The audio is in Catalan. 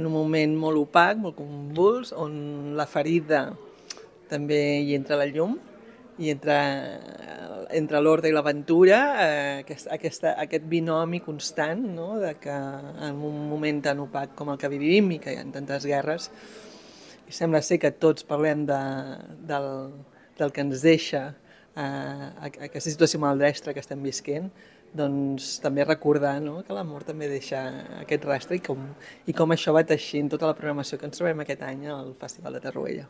En un moment molt opac, molt convuls, on la ferida també hi entra la llum i entre l'ordre i l'aventura, aquest binomi constant, no? De que en un moment tan opac com el que vivim i que hi ha tantes guerres, i sembla ser que tots parlem del que ens deixa aquesta situació maldestra que estem visquent, doncs també recordar, no? Que l'amor també deixa aquest rastre i com això va teixint tota la programació que ens trobem aquest any al Festival de Torroella.